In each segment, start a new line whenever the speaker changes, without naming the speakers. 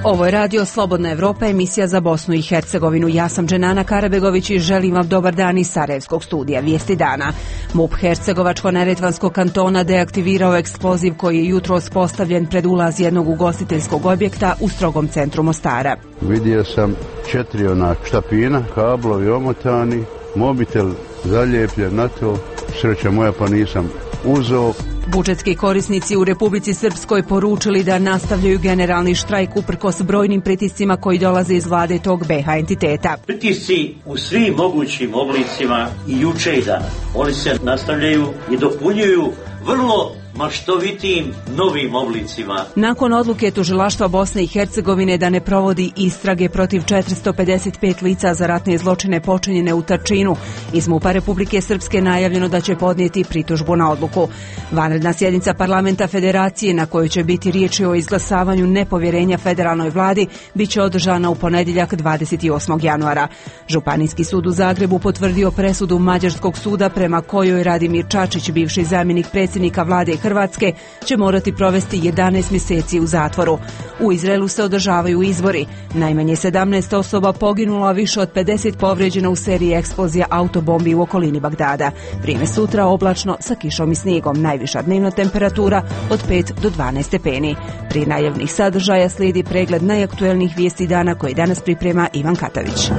Ovo je radio Slobodna Evropa, emisija za Bosnu i Hercegovinu. Ja sam Dženana Karabegović i želim vam dobar dan iz Sarajevskog studija. Vijesti dana. MUP Hercegovačko-neretvanskog kantona deaktivirao eksploziv koji je jutros postavljen pred ulaz jednog ugostiteljskog objekta u strogom centru Mostara.
Vidio sam 4 štapina, kablovi omotani, mobitel zaljepljen na to. Sreća moja pa nisam uzeo.
Budžetski korisnici u Republici Srpskoj poručili da nastavljaju generalni štrajk uprkos brojnim pritiscima koji dolaze iz vlade tog BiH entiteta.
Pritisci u svim mogućim oblicima i juče i danas. Oni se nastavljaju i dopunjuju vrlo maštovitim novim oblicima.
Nakon odluke Tužilaštva Bosne i Hercegovine da ne provodi istrage protiv 455 lica za ratne zločine počinjene u Tačinu, iz MUP-a Republike Srpske najavljeno da će podnijeti pritužbu na odluku. Vanredna sjednica parlamenta Federacije na kojoj će biti riječi o izglasavanju nepovjerenja federalnoj vladi biće održana u ponedjeljak 28. januara. Županijski sud u Zagrebu potvrdio presudu Mađarskog suda prema kojoj Radimir Čačić, bivši zamjenik predsjednika vlade Hrvatske, će morati provesti 11 mjeseci u zatvoru. U Izraelu se održavaju izbori. Najmanje 17 osoba poginulo, a više od 50 povrijeđeno u seriji eksplozija autobombi u okolini Bagdada. Vrijeme sutra oblačno sa kišom i snijegom. Najviša dnevna temperatura od 5 do 12 stepeni. Prije najavnih sadržaja slijedi pregled najaktuelnijih vijesti dana koji danas priprema Ivan Katavić.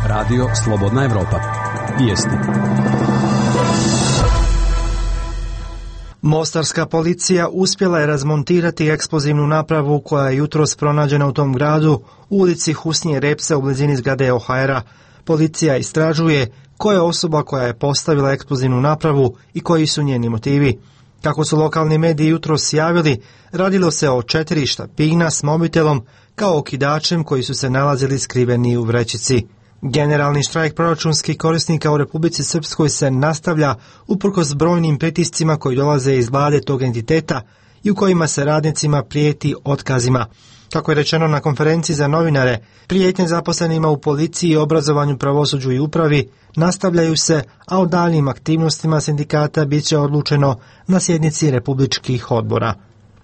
Radio Slobodna Evropa. Vijesti.
Mostarska policija uspjela je razmontirati eksplozivnu napravu koja je jutros pronađena u tom gradu u ulici Husnije Repse u blizini zgrade OHR-a. Policija istražuje koja je osoba koja je postavila eksplozivnu napravu i koji su njeni motivi. Kako su lokalni mediji jutros javili, radilo se o 4 štapina s mobitelom kao okidačem koji su se nalazili skriveni u vrećici. Generalni štrajk proračunskih korisnika u Republici Srpskoj se nastavlja uprkos brojnim pritiscima koji dolaze iz vlade tog entiteta i u kojima se radnicima prijeti otkazima. Kako je rečeno na konferenciji za novinare, prijetnje zaposlenima u policiji, obrazovanju, pravosuđu i upravi nastavljaju se, a o daljnjim aktivnostima sindikata bit će odlučeno na sjednici republičkih odbora.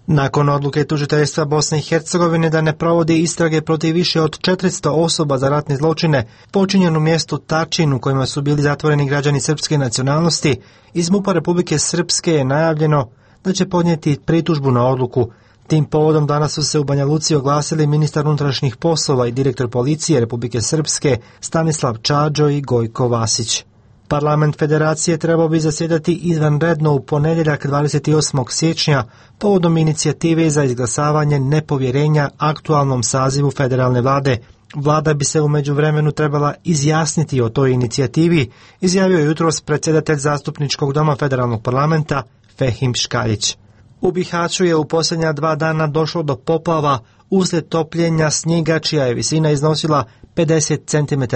Nakon odluke tužiteljstva Bosne i Hercegovine da ne provodi istrage protiv više od 400 osoba za ratne zločine počinjenu mjestu Tačin u kojima su bili zatvoreni građani srpske nacionalnosti, iz MUP-a Republike Srpske je najavljeno da će podnijeti pritužbu na odluku. Tim povodom danas su se u Banja Luci oglasili ministar unutrašnjih poslova i direktor policije Republike Srpske Stanislav Čađo i Gojko Vasić. Parlament Federacije trebao bi zasjedati izvanredno u ponedjeljak 28. siječnja povodom inicijative za izglasavanje nepovjerenja aktualnom sazivu federalne vlade. Vlada bi se u međuvremenu trebala izjasniti o toj inicijativi, izjavio je jutros predsjedatelj zastupničkog doma federalnog parlamenta Fehim Škaljić. U Bihaću je u posljednja 2 dana došlo do poplava uslijed topljenja snijega čija je visina iznosila 50 cm.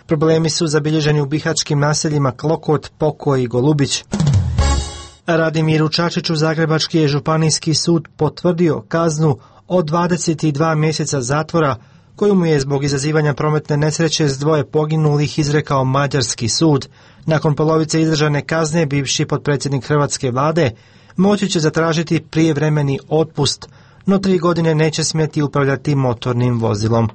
Problemi su zabilježeni u bihačkim naseljima Klokot, Pokoj i Golubić. Radimiru Čačiću Zagrebački je županijski sud potvrdio kaznu od 22 mjeseca zatvora koju mu je zbog izazivanja prometne nesreće s 2 poginulih izrekao mađarski sud. Nakon polovice izdržane kazne bivši potpredsjednik hrvatske vlade moći će zatražiti prijevremeni otpust, no 3 godine neće smjeti upravljati motornim vozilom.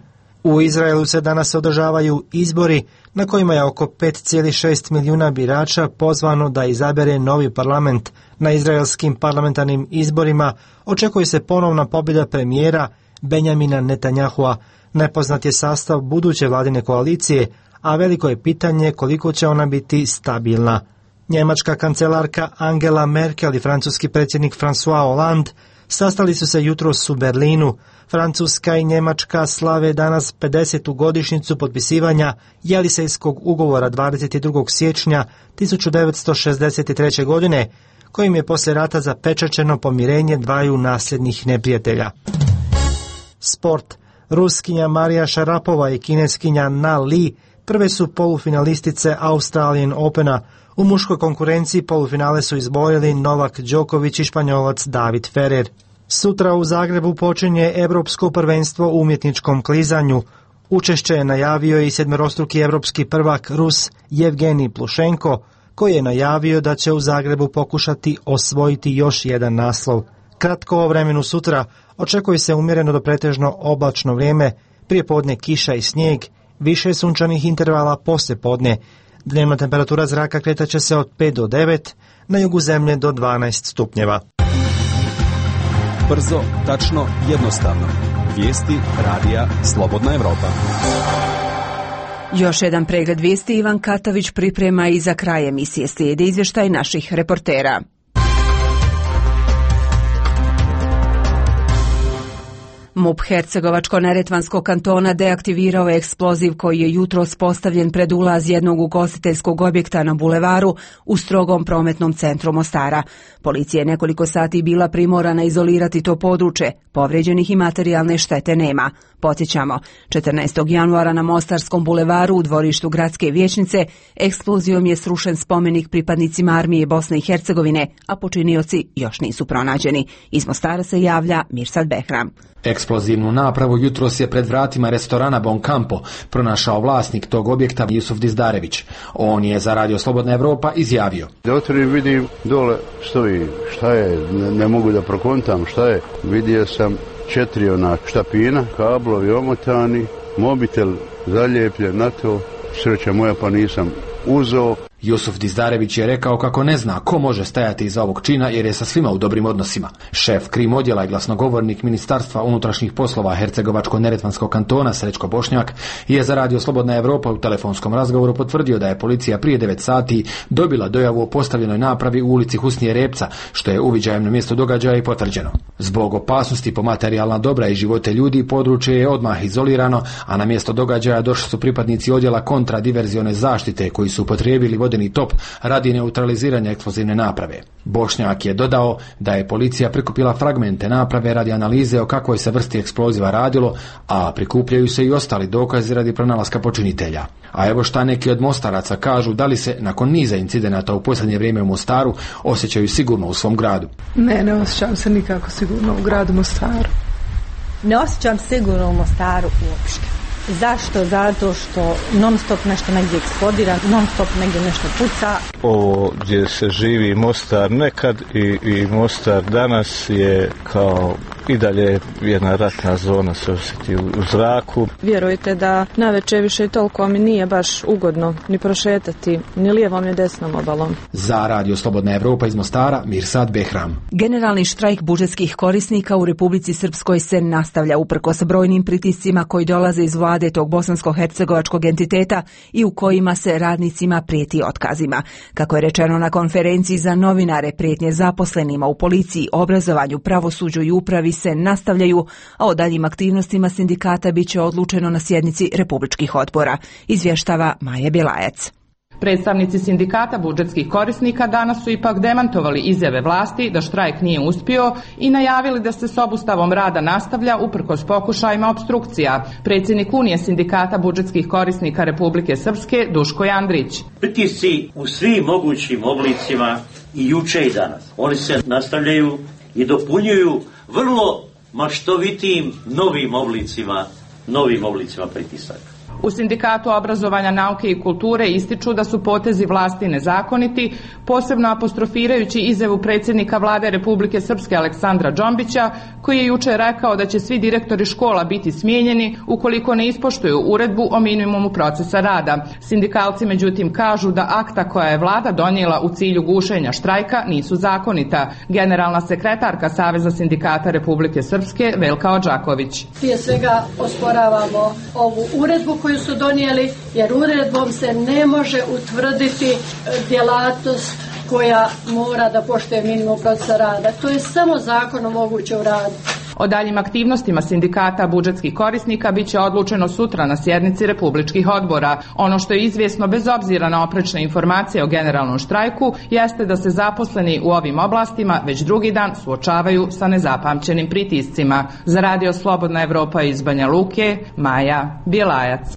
U Izraelu se danas održavaju izbori na kojima je oko 5,6 milijuna birača pozvano da izabere novi parlament. Na izraelskim parlamentarnim izborima očekuje se ponovna pobjeda premijera Benjamina Netanjahua. Nepoznat je sastav buduće vladine koalicije, a veliko je pitanje koliko će ona biti stabilna. Njemačka kancelarka Angela Merkel i francuski predsjednik François Hollande sastali su se jutros u Berlinu. Francuska i Njemačka slave danas 50. godišnjicu potpisivanja Jelisejskog ugovora 22. siječnja 1963. godine, kojim je poslije rata zapečaćeno pomirenje dvaju nasljednih neprijatelja. Sport. Ruskinja Marija Šarapova i kineskinja Na Li prve su polufinalistice Australian Opena. U muškoj konkurenciji polufinale su izborili Novak Đoković i Španjolac David Ferrer. Sutra u Zagrebu počinje Europsko prvenstvo u umjetničkom klizanju. Učešće je najavio i 7-struki europski prvak Rus Jevgenij Plušenko, koji je najavio da će u Zagrebu pokušati osvojiti još jedan naslov. Kratko o vremenu sutra očekuje se umjereno do pretežno oblačno vrijeme, prije podne kiša i snijeg, više sunčanih intervala poslije podne. Dnevna temperatura zraka kretat će se od 5 do 9, na jugu zemlje do 12 stupnjeva.
Brzo, tačno, jednostavno. Vijesti radija Slobodna Evropa.
Još jedan pregled vijesti Ivan Katavić priprema i za kraj emisije slijedi izvještaj naših reportera. MUP Hercegovačko-neretvanskog kantona deaktivirao je eksploziv koji je jutros postavljen pred ulaz jednog ugostiteljskog objekta na bulevaru u strogom prometnom centru Mostara. Policija je nekoliko sati bila primorana izolirati to područje, povrijeđenih i materijalne štete nema. Podsjećamo, 14. januara na Mostarskom bulevaru u dvorištu gradske vijećnice eksplozijom je srušen spomenik pripadnicima armije Bosne i Hercegovine, a počinioci još nisu pronađeni. Iz Mostara se javlja Mirsad Behram.
Eksplozivnu napravu jutros je pred vratima restorana Bon Campo pronašao vlasnik tog objekta Jusuf Dizdarević. On je za Radio Slobodna Evropa izjavio:
Da otvorim, vidim dole stoji, šta je, ne mogu da prokontam šta je. Vidio sam 4 štapina, kablovi omotani, mobitel zaljepljen na to, sreća moja pa nisam uzeo.
Jusuf Dizdarević je rekao kako ne zna ko može stajati iza ovog čina jer je sa svima u dobrim odnosima. Šef krim odjela i glasnogovornik Ministarstva unutrašnjih poslova Hercegovačko-neretvanskog kantona Srećko Bošnjak je za Radio Slobodna Evropa u telefonskom razgovoru potvrdio da je policija prije 9 sati dobila dojavu o postavljenoj napravi u ulici Husnije Repca, što je uviđajem na mjestu događaja i potvrđeno. Zbog opasnosti po materijalna dobra i živote ljudi područje je odmah izolirano, a na mjesto događaja došli su pripadnici odjela kontradiverzione zaštite koji su upotrijebili vodeni top radi neutraliziranja eksplozivne naprave. Bošnjak je dodao da je policija prikupila fragmente naprave radi analize o kakvoj se vrsti eksploziva radilo, a prikupljaju se i ostali dokazi radi pronalaska počinitelja. A evo šta neki od Mostaraca kažu, da li se nakon niza incidenata u posljednje vrijeme u Mostaru osjećaju sigurno u svom gradu.
Ne osjećam se nikako sigurno u gradu Mostaru.
Ne osjećam sigurno u Mostaru uopšte. Zašto? Zato što non stop nešto negdje eksplodira, non stop negdje nešto puca.
Ovo gdje se živi Mostar nekad i Mostar danas je kao i dalje jedna ratna zona, se osjeti u zraku.
Vjerujte da navečer više toliko mi nije baš ugodno ni prošetati ni lijevom ni desnom obalom.
Za Radio Slobodna Evropa iz Mostara, Mirsad Behram.
Generalni štrajk budžetskih korisnika u Republici Srpskoj se nastavlja uprkos brojnim pritiscima koji dolaze iz vlade tog bosansko-hercegovačkog entiteta i u kojima se radnicima prijeti otkazima. Kako je rečeno na konferenciji za novinare, prijetnje zaposlenima u policiji, obrazovanju, pravosuđu i upravi se nastavljaju, a o daljim aktivnostima sindikata bit će odlučeno na sjednici republičkih odbora, izvještava Maja Bjelajac.
Predstavnici sindikata budžetskih korisnika danas su ipak demantovali izjave vlasti da štrajk nije uspio i najavili da se s obustavom rada nastavlja uprkos pokušajima opstrukcija. Predsjednik Unije sindikata budžetskih korisnika Republike Srpske Duško Jandrić.
Pritisci u svim mogućim oblicima i juče i danas. Oni se nastavljaju i dopunjuju vrlo maštovitim novim oblicima pritisaka.
U Sindikatu obrazovanja, nauke i kulture ističu da su potezi vlasti nezakoniti, posebno apostrofirajući izjavu predsjednika vlade Republike Srpske Aleksandra Džombića, koji je jučer rekao da će svi direktori škola biti smijenjeni ukoliko ne ispoštuju uredbu o minimumu procesa rada. Sindikalci međutim kažu da akta koja je vlada donijela u cilju gušenja štrajka nisu zakonita. Generalna sekretarka Saveza sindikata Republike Srpske Velka Odžaković.
Prije svega osporavamo ovu uredbu koju su donijeli, jer uredbom se ne može utvrditi djelatnost koja mora da poštuje minimum procesa rada. To je samo zakonom moguće uraditi.
O daljim aktivnostima sindikata budžetskih korisnika bit će odlučeno sutra na sjednici republičkih odbora. Ono što je izvjesno bez obzira na oprečne informacije o generalnom štrajku jeste da se zaposleni u ovim oblastima već drugi dan suočavaju sa nezapamćenim pritiscima. Za Radio Slobodna Evropa iz Banja Luke, Maja Bjelajac.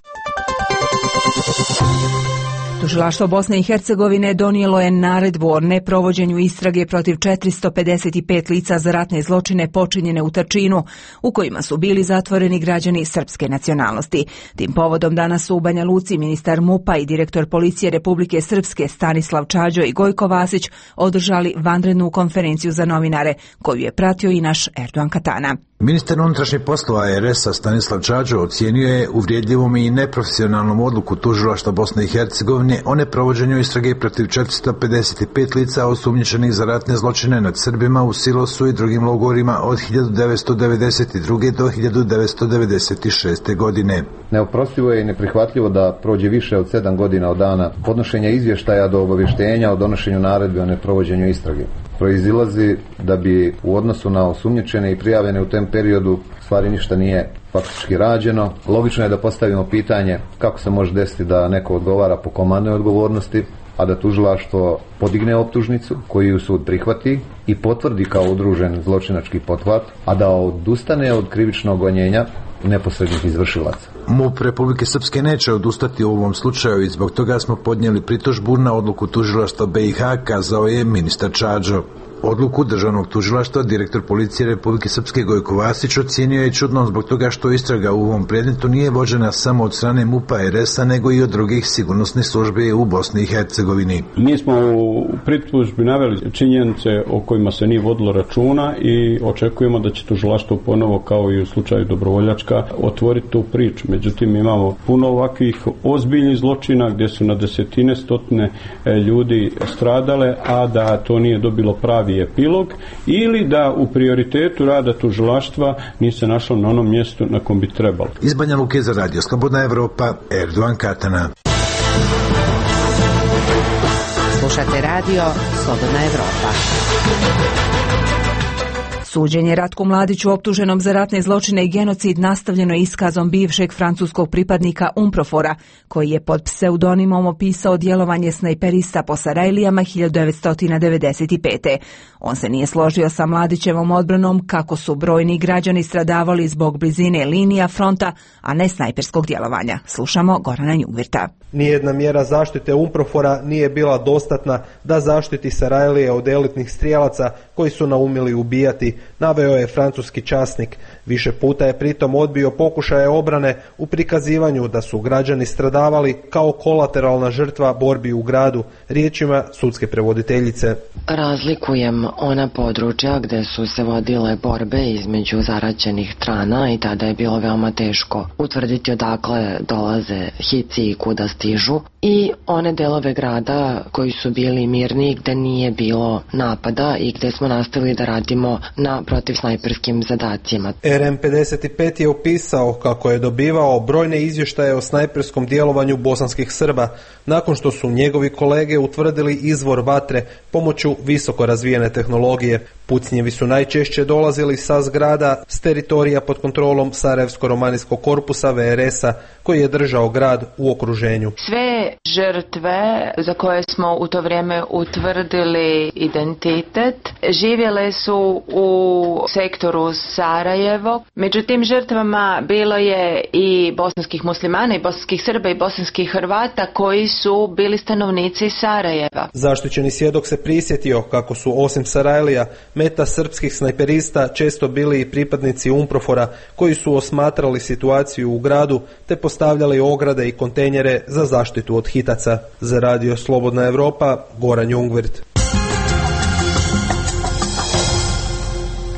Tužilaštvo Bosne i Hercegovine donijelo je naredbu o neprovođenju istrage protiv 455 lica za ratne zločine počinjene u Tačinu, u kojima su bili zatvoreni građani srpske nacionalnosti. Tim povodom danas su u Banja Luci ministar MUP-a i direktor policije Republike Srpske Stanislav Čađo i Gojko Vasić održali vanrednu konferenciju za novinare, koju je pratio i naš Erdogan Katana.
Ministar unutrašnjih poslova RS-a Stanislav Čađo ocijenio je uvrijedljivom i neprofesionalnom odluku Tužilaštva Bosne i Hercegovine o neprovođenju istrage protiv 455 lica osumnjičenih za ratne zločine nad Srbima u Silosu i drugim logorima od 1992. do 1996. godine.
Neoprostivo je i neprihvatljivo da prođe više od 7 godina od dana podnošenja izvještaja do obavještenja o donošenju naredbe o neprovođenju istrage. Proizilazi da bi u odnosu na osumnjičene i prijavljene u tem periodu stvari ništa nije faktički rađeno. Logično je da postavimo pitanje kako se može desiti da neko odgovara po komandnoj odgovornosti, a da tužilaštvo podigne optužnicu koju sud prihvati i potvrdi kao udružen zločinački pothvat, a da odustane od krivičnog gonjenja neposrednih izvršilaca.
MUP Republike Srpske neće odustati u ovom slučaju i zbog toga smo podnijeli pritužbu na odluku tužilaštva BiH, kazao je ministar Čađo. Odluku državnog tužilaštva direktor policije Republike Srpske Gojko Vasić ocijenio je čudnom zbog toga što istraga u ovom predmetu nije vođena samo od strane MUP-a RS-a nego i od drugih sigurnosnih službi u Bosni i Hercegovini.
Mi smo u pritužbi naveli činjenice o kojima se nije vodilo računa i očekujemo da će tužilaštvo ponovo, kao i u slučaju Dobrovoljačka, otvoriti tu priču. Međutim, imamo puno ovakvih ozbiljnih zločina gdje su na desetine, stotine ljudi stradale, a da to nije dobilo pravi epilog ili da u prioritetu rada tužilaštva nije se našlo na onom mjestu na kom bi trebalo.
Iz Banja Luke za Radio Slobodna Evropa, Erdogan Katana.
Slušate Radio Slobodna Evropa.
Suđenje Ratku Mladiću optuženom za ratne zločine i genocid nastavljeno je iskazom bivšeg francuskog pripadnika UNPROFOR-a, koji je pod pseudonimom opisao djelovanje snajperista po Sarajlijama 1995. On se nije složio sa Mladićevom odbranom kako su brojni građani stradavali zbog blizine linija fronta, a ne snajperskog djelovanja. Slušamo Gorana Njugvirta.
Nijedna mjera zaštite UNPROFOR-a nije bila dostatna da zaštiti Sarajlije od elitnih strijelaca koji su naumili ubijati, naveo je francuski časnik. Više puta je pritom odbio pokušaje obrane u prikazivanju da su građani stradavali kao kolateralna žrtva borbi u gradu, riječima sudske prevoditeljice.
Razlikujem ona područja gdje su se vodile borbe između zaraćenih strana i tada je bilo veoma teško utvrditi odakle dolaze hici i kuda stižu, i one delove grada koji su bili mirni, gdje nije bilo napada i gdje smo nastavili da radimo na protivsnajperskim zadacima.
RM55 je opisao kako je dobivao brojne izvještaje o snajperskom djelovanju bosanskih Srba, nakon što su njegovi kolege utvrdili izvor vatre pomoću visoko razvijene tehnologije. Pucnjevi su najčešće dolazili sa zgrada s teritorija pod kontrolom Sarajevsko-romanijskog korpusa VRS-a, koji je držao grad u okruženju.
Sve žrtve za koje smo u to vrijeme utvrdili identitet živjele su u sektoru Sarajevo. Među tim žrtvama bilo je i bosanskih muslimana, i bosanskih Srba, i bosanskih Hrvata koji su bili stanovnici Sarajeva.
Zaštićeni svjedok se prisjetio kako su osim Sarajlija meta srpskih snajperista često bili i pripadnici UNPROFOR-a koji su osmatrali situaciju u gradu te postavljali ograde i kontejnere za zaštitu od hitaca. Za Radio Slobodna Evropa, Goran Jungvirt.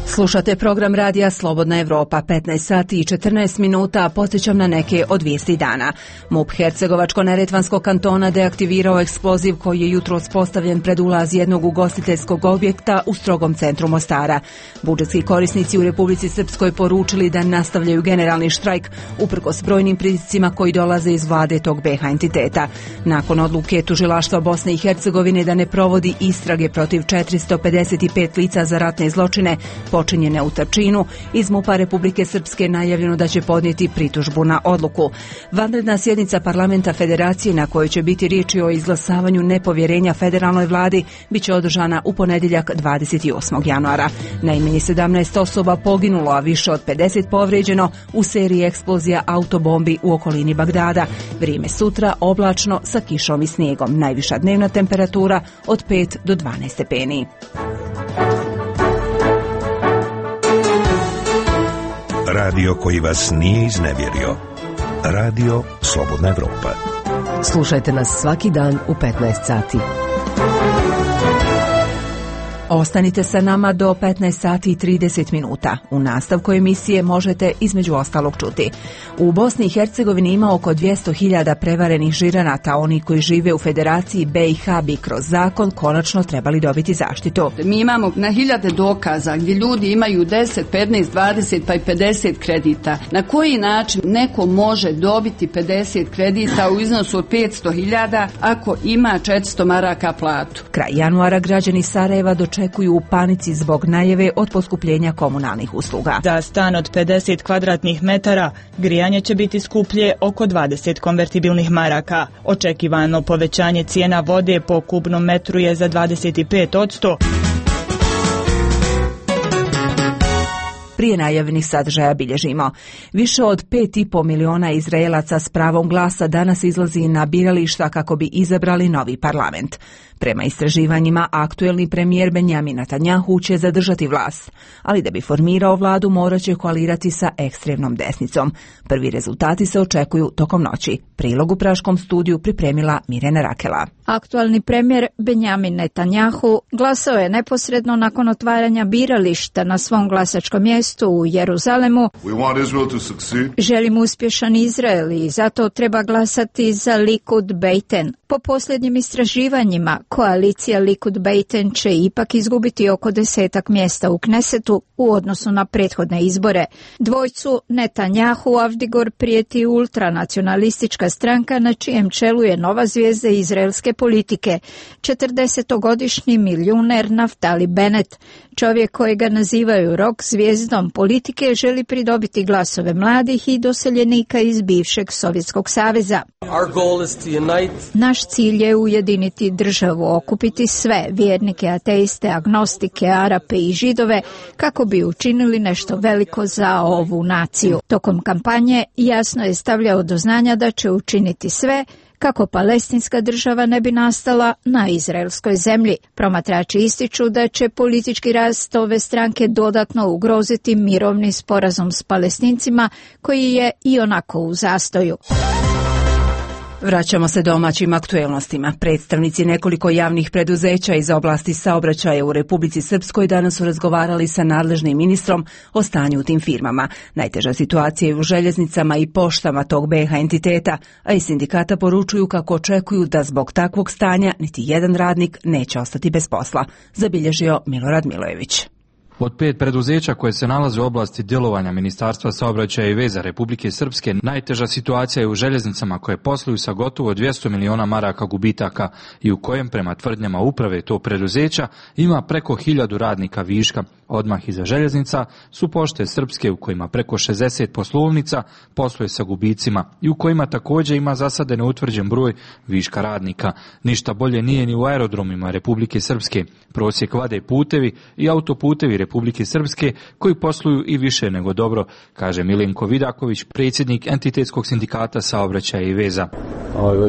Slušate program Radija Slobodna Evropa, 15 sati i 14 minuta, podsjećam na neke od vijesti dana. MUP Hercegovačko-neretvanskog kantona deaktivirao eksploziv koji je jutros postavljen pred ulaz jednog ugostiteljskog objekta u strogom centru Mostara. Budžetski korisnici u Republici Srpskoj poručili da nastavljaju generalni štrajk uprkos brojnim pritiscima koji dolaze iz vlade tog BiH entiteta. Nakon odluke Tužilaštva Bosne i Hercegovine da ne provodi istrage protiv 455 lica za ratne zločine počinjene u Tačinu, iz MUP-a Republike Srpske najavljeno da će podnijeti pritužbu na odluku. Vanredna sjednica parlamenta Federacije na kojoj će biti riječi o izglasavanju nepovjerenja federalnoj vladi biće održana u ponedjeljak 28. januara. Najmanje 17 osoba poginulo, a više od 50 povrijeđeno u seriji eksplozija autobombi u okolini Bagdada. Vrijeme sutra oblačno sa kišom i snijegom. Najviša dnevna temperatura od 5 do 12 stepeni.
Radio koji vas nije iznevjerio. Radio Slobodna Evropa.
Slušajte nas svaki dan u 15 sati.
Ostanite sa nama do 15 sati i 30 minuta. U nastavku emisije možete između ostalog čuti. U Bosni i Hercegovini ima oko 200.000 prevarenih žiranata. Oni koji žive u Federaciji BiH bi kroz zakon konačno trebali dobiti zaštitu.
Mi imamo na hiljade dokaza gdje ljudi imaju 10, 15, 20 pa i 50 kredita. Na koji način neko može dobiti 50 kredita u iznosu od 500.000 ako ima 400 maraka platu?
Kraj januara građani Sarajeva očekuju u panici zbog najave od poskupljenja komunalnih usluga.
Za stan od 50 kvadratnih metara grijanje će biti skuplje oko 20 konvertibilnih maraka. Očekivano povećanje cijena vode po kubnom metru je za 25%.
Prije najavljenih sadržaja bilježimo. Više od 5,5 miliona Izraelaca s pravom glasa danas izlazi na birališta kako bi izabrali novi parlament. Prema istraživanjima, aktuelni premijer Benjamin Netanjahu će zadržati vlast, ali da bi formirao vladu morat će koalirati sa ekstremnom desnicom. Prvi rezultati se očekuju tokom noći. Prilog u Praškom studiju pripremila Mirjana Rakela.
Aktualni premijer Benjamin Netanjahu glasao je neposredno nakon otvaranja birališta na svom glasačkom mjestu u Jeruzalemu. Želim uspješan Izrael i zato treba glasati za Likud Beiten. Po posljednjim istraživanjima, koalicija Likud Beiten će ipak izgubiti oko 10 mjesta u Knesetu u odnosu na prethodne izbore. Dvojcu Netanjahu Avdigor prijeti ultranacionalistička stranka na čijem čelu je nova zvijezda izraelske politike, 40-godišnji milioner Naftali Bennett. Čovjek kojega nazivaju rock zvijezdom politike želi pridobiti glasove mladih i doseljenika iz bivšeg Sovjetskog saveza. Naš cilj je ujediniti državu, okupiti sve, vjernike, ateiste, agnostike, Arape i Židove, kako bi učinili nešto veliko za ovu naciju. Tokom kampanje jasno je stavljao do znanja da će učiniti sve kako palestinska država ne bi nastala na izraelskoj zemlji. Promatrači ističu da će politički rast ove stranke dodatno ugroziti mirovni sporazum s Palestincima koji je ionako u zastoju.
Vraćamo se domaćim aktuelnostima. Predstavnici nekoliko javnih preduzeća iz oblasti saobraćaja u Republici Srpskoj danas su razgovarali sa nadležnim ministrom o stanju u tim firmama. Najteža situacija je u željeznicama i poštama tog BiH entiteta, a iz sindikata poručuju kako očekuju da zbog takvog stanja niti jedan radnik neće ostati bez posla, zabilježio Milorad Milojević.
Od 5 preduzeća koje se nalaze u oblasti djelovanja Ministarstva saobraćaja i veza Republike Srpske, najteža situacija je u željeznicama koje posluju sa gotovo 200 miliona maraka gubitaka i u kojem, prema tvrdnjama uprave tog preduzeća, ima preko 1000 radnika viška. Odmah iza željeznica su Pošte Srpske u kojima preko 60 poslovnica posluje sa gubicima i u kojima također ima za sada neutvrđen broj viška radnika. Ništa bolje nije ni u aerodromima Republike Srpske. Prosjek vade putevi i autoputevi Republike Srpske koji posluju i više nego dobro, kaže Milenko Vidaković, predsjednik entitetskog sindikata saobraćaja i veza.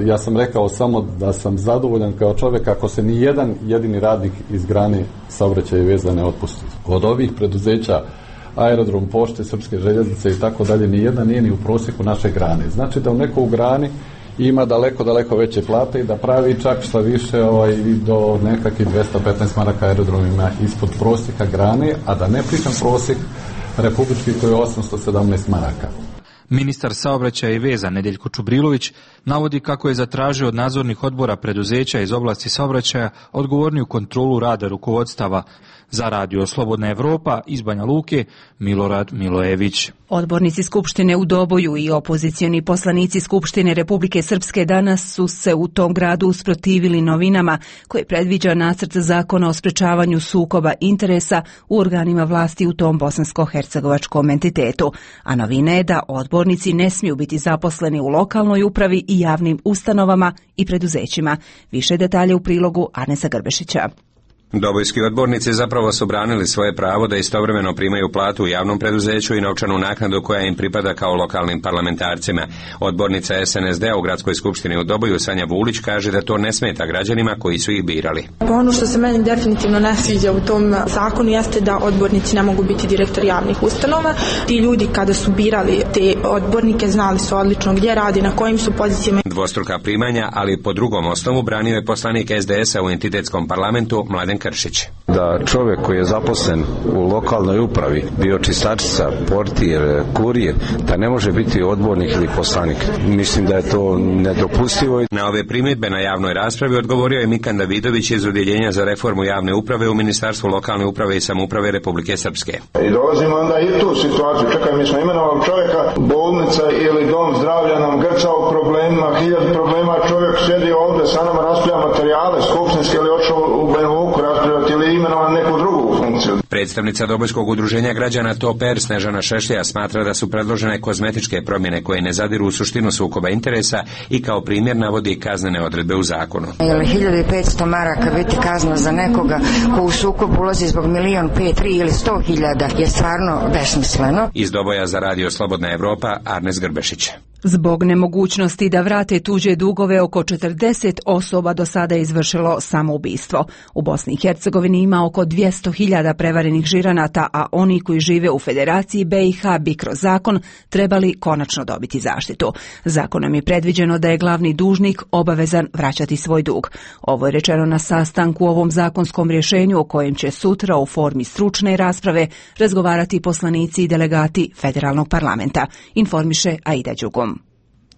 Ja sam rekao samo da sam zadovoljan kao čovjek ako se ni jedan jedini radnik iz grane saobraćaja i veza ne otpusti. Od ovih preduzeća aerodrom, Pošte, Srpske željeznice i tako dalje, ni jedna nije ni u prosjeku naše grane. Znači da u nekoj grani ima daleko veće plate i da pravi čak šta više do nekakvih 215 maraka aerodromima ispod prosjeka grane, a da ne pričam prosjek republički koji je 817 maraka.
Ministar saobraćaja i veza Nedeljko Čubrilović navodi kako je zatražio od nadzornih odbora preduzeća iz oblasti saobraćaja odgovorniju kontrolu rada rukovodstava. Za Radio Slobodna Evropa iz Banja Luke, Milorad Milojević.
Odbornici Skupštine u Doboju i opozicioni poslanici Skupštine Republike Srpske danas su se u tom gradu usprotivili novinama koje predviđa nacrt zakona o sprečavanju sukoba interesa u organima vlasti u tom bosansko-hercegovačkom entitetu. A novina je da odbornici ne smiju biti zaposleni u lokalnoj upravi i javnim ustanovama i preduzećima. Više detalje u prilogu Arnesa Grbešića.
Dobojski odbornici zapravo su branili svoje pravo da istovremeno primaju platu u javnom preduzeću i novčanu naknadu koja im pripada kao lokalnim parlamentarcima. Odbornica SNSD-a u Gradskoj skupštini u Doboju Sanja Vulić kaže da to ne smeta građanima koji su ih birali.
Ono što se meni definitivno ne sviđa u tom zakonu jeste da odbornici ne mogu biti direktori javnih ustanova. Ti ljudi kada su birali te odbornike znali su odlično gdje radi, na kojim su pozicijama.
Dvostruka primanja, ali po drugom osnovu branio je poslanik SDS-a u entitetskom parlamentu Mladen Kršić.
Da čovjek koji je zaposlen u lokalnoj upravi, bio čistačica, portir, kurir, da ne može biti odbornik ili poslanik. Mislim da je to nedopustivo.
Na ove primjedbe na javnoj raspravi odgovorio je Mikan Davidović iz Udjeljenja za reformu javne uprave u Ministarstvu lokalne uprave i samouprave Republike Srpske.
I dolazimo onda i tu situaciju. Čekaj, mi smo imenovali čovjeka, bolnica ili dom zdravlja nam grca u problemima, 1000 problema, čovjek sjedi ovdje sa nama, raspravlja materijale skupštinske ili otišao u Banja Luku raspravljati ili imenovan neku drugu funkciju.
Predstavnica Dobojskog udruženja građana Toper Snežana Šešlja smatra da su predložene kozmetičke promjene koje ne zadiru u suštinu sukoba interesa i kao primjer navodi kaznene odredbe u zakonu.
Ili 1500 maraka biti kazna za nekoga ko u sukob ulazi zbog 1.500.000, 3 ili 100.000 je stvarno besmisleno.
Iz Doboja za Radio Slobodna Evropa, Arnes Grbešić.
Zbog nemogućnosti da vrate tuđe dugove, oko 40 osoba do sada je izvršilo samoubistvo. U Bosni i Hercegovini ima oko 200.000 prevarenih žiranata, a oni koji žive u Federaciji BiH bi kroz zakon trebali konačno dobiti zaštitu. Zakonom je predviđeno da je glavni dužnik obavezan vraćati svoj dug. Ovo je rečeno na sastanku u ovom zakonskom rješenju o kojem će sutra u formi stručne rasprave razgovarati poslanici i delegati Federalnog parlamenta, informiše Aida Đugom.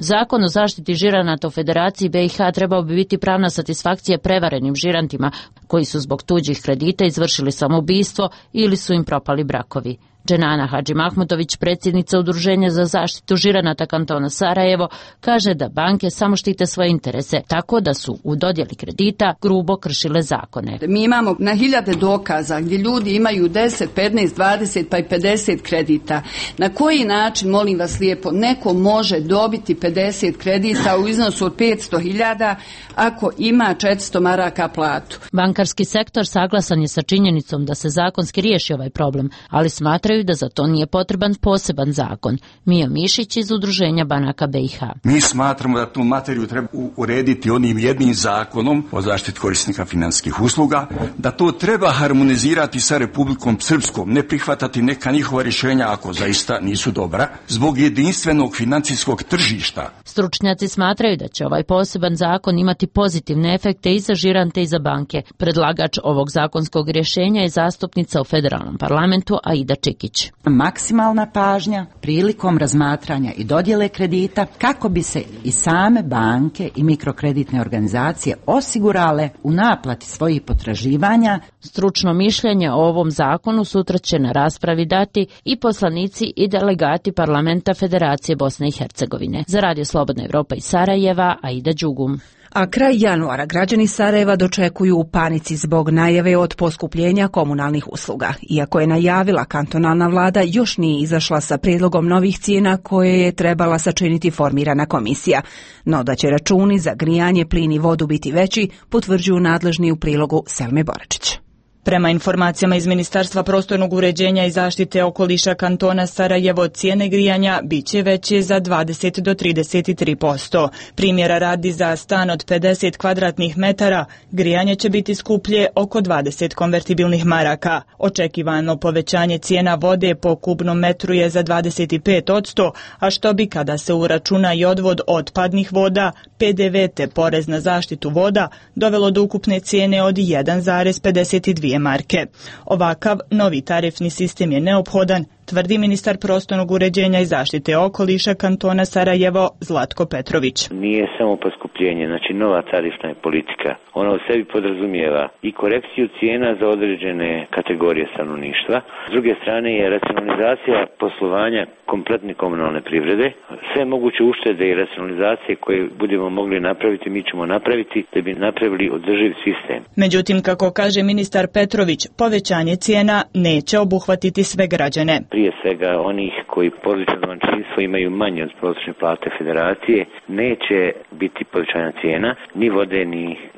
Zakon o zaštiti žiranata u Federaciji BiH trebao bi biti pravna satisfakcija prevarenim žirantima koji su zbog tuđih kredita izvršili samoubistvo ili su im propali brakovi. Dženana Hadži Mahmutović, predsjednica Udruženja za zaštitu žiranata kantona Sarajevo, kaže da banke samo štite svoje interese, tako da su u dodjeli kredita grubo kršile zakone.
Mi imamo na hiljade dokaza gdje ljudi imaju 10, 15, 20 pa i 50 kredita. Na koji način, molim vas lijepo, neko može dobiti 50 kredita u iznosu od 500.000 ako ima 400 maraka platu?
Bankarski sektor saglasan je sa činjenicom da se zakonski riješi ovaj problem, ali smatraju da za to nije potreban poseban zakon. Mio Mišić iz Udruženja banaka BiH.
Mi smatramo da tu materiju treba urediti onim jednim zakonom o zaštiti korisnika financijskih usluga, da to treba harmonizirati sa Republikom Srpskom, ne prihvatati neka njihova rješenja ako zaista nisu dobra, zbog jedinstvenog financijskog tržišta.
Stručnjaci smatraju da će ovaj poseban zakon imati pozitivne efekte i za žirante i za banke. Predlagač ovog zakonskog rješenja je zastupnica u Federalnom parlamentu Aida Čikić.
Maksimalna pažnja prilikom razmatranja i dodjele kredita kako bi se i same banke i mikrokreditne organizacije osigurale u naplati svojih potraživanja.
Stručno mišljenje o ovom zakonu sutra će na raspravi dati i poslanici i delegati parlamenta Federacije Bosne i Hercegovine. Za Radio Slobodna Evropa iz Sarajeva, Aida Đugum.
A kraj januara građani Sarajeva dočekuju u panici zbog najave od poskupljenja komunalnih usluga. Iako je najavila kantonalna vlada, još nije izašla sa prijedlogom novih cijena koje je trebala sačiniti formirana komisija. No da će računi za grijanje, plin i vodu biti veći, potvrđuju nadležni u prilogu Selme Boračić.
Prema informacijama iz Ministarstva prostornog uređenja i zaštite okoliša kantona Sarajevo, cijene grijanja biće veće za 20 do 33%. Primjera radi, za stan od 50 kvadratnih metara grijanje će biti skuplje oko 20 konvertibilnih maraka. Očekivano povećanje cijena vode po kubnom metru je za 25%, a što bi, kada se uračuna i odvod otpadnih voda, PDV te porez na zaštitu voda, dovelo do ukupne cijene od 1,52 marke. Ovakav novi tarifni sistem je neophodan tvrdi ministar prostornog uređenja i zaštite okoliša kantona Sarajevo Zlatko Petrović.
Nije samo poskupljenje, znači nova tarifna je politika. Ona u sebi podrazumijeva i korekciju cijena za određene kategorije stanovništva. S druge strane je racionalizacija poslovanja kompletne komunalne privrede. Sve moguće uštede i racionalizacije koje budemo mogli napraviti, mi ćemo napraviti da bi napravili održiv sistem.
Međutim, kako kaže ministar Petrović, povećanje cijena neće obuhvatiti sve građane.
Prije svega onih koji porodično domaćinstvo imaju manje od prosječne plate federacije, neće biti povećanja cijena, ni vode,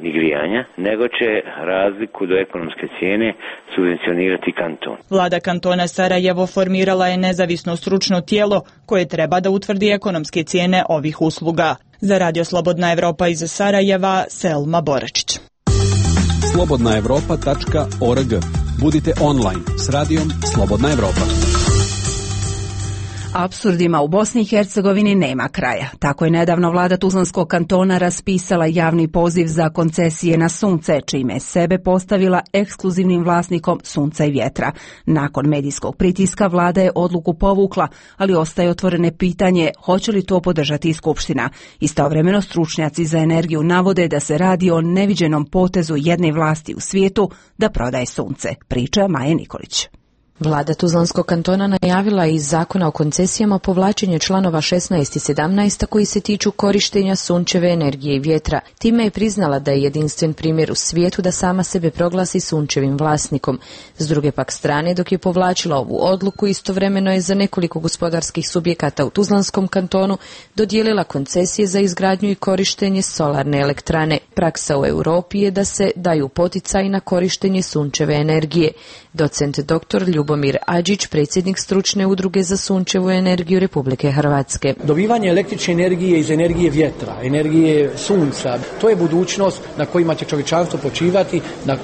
ni grijanja, nego će razliku do ekonomske cijene subvencionirati kanton.
Vlada kantona Sarajevo formirala je nezavisno stručno tijelo koje treba da utvrdi ekonomske cijene ovih usluga. Za Radio Slobodna Evropa iz Sarajeva, Selma Boračić.
slobodnaevropa.org. Budite online s radijom Slobodna Evropa.
Apsurdima u Bosni i Hercegovini nema kraja. Tako je nedavno vlada Tuzlanskog kantona raspisala javni poziv za koncesije na sunce, čime je sebe postavila ekskluzivnim vlasnikom sunca i vjetra. Nakon medijskog pritiska vlada je odluku povukla, ali ostaje otvorene pitanje hoće li to podržati i Skupština. Istovremeno stručnjaci za energiju navode da se radi o neviđenom potezu jedne vlasti u svijetu da prodaje sunce. Priča Maja Nikolić.
Vlada Tuzlanskog kantona najavila iz zakona o koncesijama povlačenje članova 16 i 17 koji se tiču korištenja sunčeve energije i vjetra. Time je priznala da je jedinstven primjer u svijetu da sama sebe proglasi sunčevim vlasnikom. S druge pak strane, dok je povlačila ovu odluku, istovremeno je za nekoliko gospodarskih subjekata u Tuzlanskom kantonu dodijelila koncesije za izgradnju i korištenje solarne elektrane. Praksa u Europi je da se daju poticaji na korištenje sunčeve energije. Docent dr. Ljubomir Adžić, predsjednik stručne udruge za sunčevu energiju Republike Hrvatske.
Dobivanje električne energije iz energije vjetra, energije sunca, to je budućnost na kojima će čovječanstvo počivati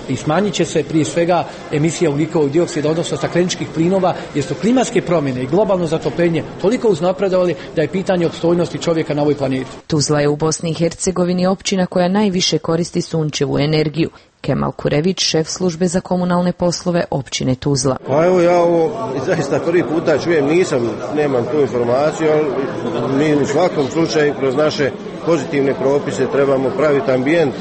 i smanjit će se prije svega emisija ugljikovog dioksida, odnosno stakleničkih plinova, jer su klimatske promjene i globalno zatopljenje toliko uznapredovali da je pitanje opstojnosti čovjeka na ovoj planeti.
Tuzla je u Bosni i Hercegovini općina koja najviše koristi sunčevu energiju. Kemal Kurević, šef službe za komunalne poslove općine Tuzla.
Pa evo ja ovo zaista prvi puta čujem, nemam tu informaciju, ali mi u svakom slučaju kroz naše pozitivne propise trebamo praviti ambijent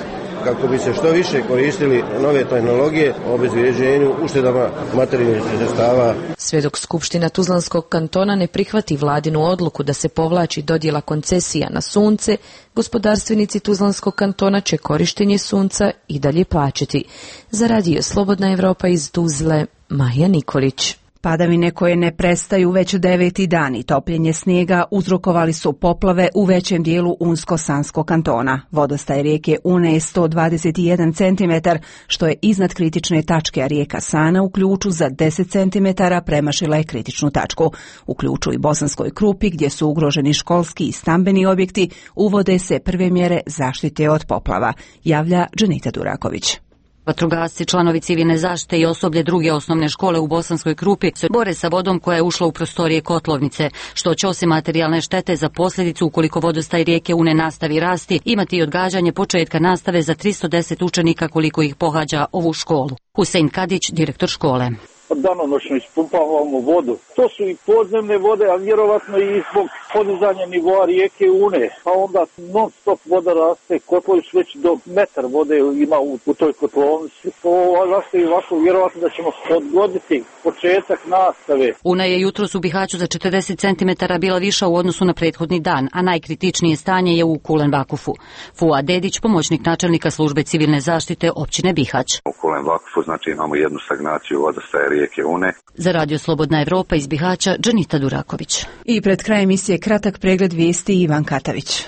kako bi se što više koristili nove tehnologije o obezvrijeđenju, uštedama materijalnih sredstava.
Sve dok Skupština Tuzlanskog kantona ne prihvati vladinu odluku da se povlači dodjela koncesija na sunce, gospodarstvenici Tuzlanskog kantona će korištenje sunca i dalje plaćati. Za Radio Slobodna Evropa iz Tuzle, Maja Nikolić.
Padavine koje ne prestaju već 9. dan i topljenje snijega uzrokovali su poplave u većem dijelu Unsko-Sanskog kantona. Vodostaj rijeke Une je 121 cm, što je iznad kritične tačke, a rijeka Sana u Ključu za 10 cm premašila je kritičnu tačku. U Ključu i Bosanskoj Krupi, gdje su ugroženi školski i stambeni objekti, uvode se prve mjere zaštite od poplava, javlja Dženita Duraković.
Vatrogasci, članovi civilne zaštite i osoblje druge osnovne škole u Bosanskoj Krupi se bore sa vodom koja je ušla u prostorije kotlovnice, što će osim materijalne štete za posljedicu ukoliko vodostaj rijeke Une nastavi rasti, imati i odgađanje početka nastave za 310 učenika koliko ih pohađa ovu školu. Husein Kadić, direktor škole.
Danonoćno ispumpavamo vodu. To su i podzemne vode, a vjerovatno i zbog podizanja nivoa rijeke Une. Pa onda non stop voda raste, kotlovi su već do metar vode ima u toj kotlovnici. To raste i ovako, vjerovatno da ćemo odgoditi početak nastave.
Una je jutros u Bihaću za 40 cm bila viša u odnosu na prethodni dan, a najkritičnije stanje je u Kulen Vakufu. Fuad Dedić, pomoćnik načelnika službe civilne zaštite općine Bihać.
U Kulen Vakufu znači imamo jednu stagnaciju vodostaja rijeke Une.
Za Radio Slobodna Evropa iz Bihaća, Dženita Duraković.
I pred krajem emisije kratak pregled vijesti Ivan Katavić.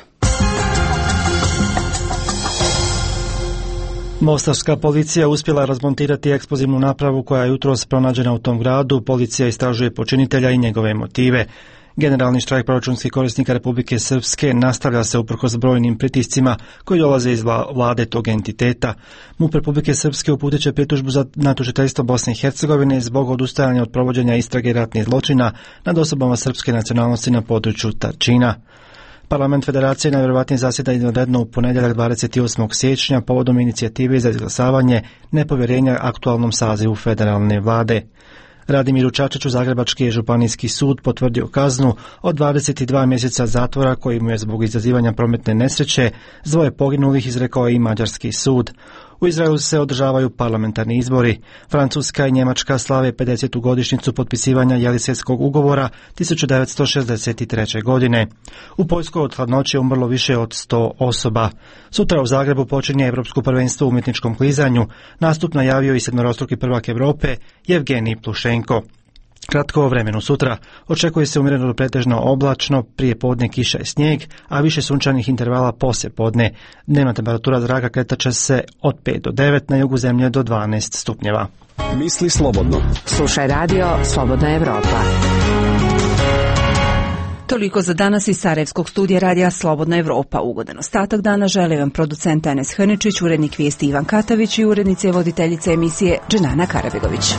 Mostarska policija uspjela razmontirati eksplozivnu napravu koja je jutros pronađena u tom gradu. Policija istražuje počinitelja i njegove motive. Generalni štrajk proračunskih korisnika Republike Srpske nastavlja se uprkos brojnim pritiscima koji dolaze iz vlade tog entiteta. MUP Republike Srpske uputit će pritužbu na tužiteljstvo Bosne i Hercegovine zbog odustajanja od provođenja istrage ratnih zločina nad osobama srpske nacionalnosti na području Tačina. Parlament Federacije najvjerovatnije zasjeda izvanredno u ponedjeljak 28. siječnja povodom inicijative za izglasavanje nepovjerenja aktualnom sazivu federalne vlade. Radimiru Čačiću Zagrebački je županijski sud potvrdio kaznu od 22 mjeseca zatvora koji mu je zbog izazivanja prometne nesreće s 2 poginulih izrekao i mađarski sud. U Izraelu se održavaju parlamentarni izbori. Francuska i Njemačka slave 50. godišnjicu potpisivanja Jelisejskog ugovora 1963. godine. U Poljskoj od hladnoće umrlo više od 100 osoba. Sutra u Zagrebu počinje Europsko prvenstvo u umjetničkom klizanju. Nastup najavio i sedmorostruki prvak Europe Jevgenij Plušenko. Kratko o vremenu sutra očekuje se umjereno do pretežno oblačno, prije podne kiša i snijeg, a više sunčanih intervala poslije podne. Dnevna temperatura zraka kretat će se od 5 do 9, na jugu zemlje do 12 stupnjeva.
Misli slobodno.
Slušaj radio Slobodna Evropa.
Toliko za danas iz Sarajevskog studija radija Slobodna Evropa. Ugodan ostatak dana želi vam producent Enes Hrničić, urednik vijesti Ivan Katavić i urednica i voditeljica emisije Dženana Karabegović.